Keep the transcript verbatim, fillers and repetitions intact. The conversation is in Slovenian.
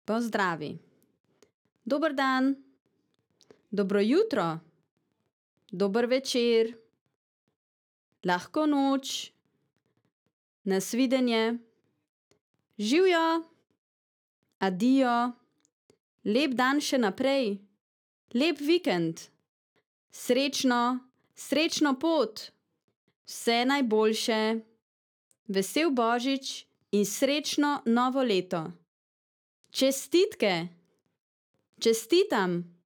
Pozdravi. Dober dan. Dobro jutro. Dober večer. Lahko noč. Nasvidenje. Živjo. Adijo. Lep dan še naprej. Lep vikend. Srečno, srečno pot. Vse najboljše. Vesel božič in srečno novo leto. Čestitke. Čestitam.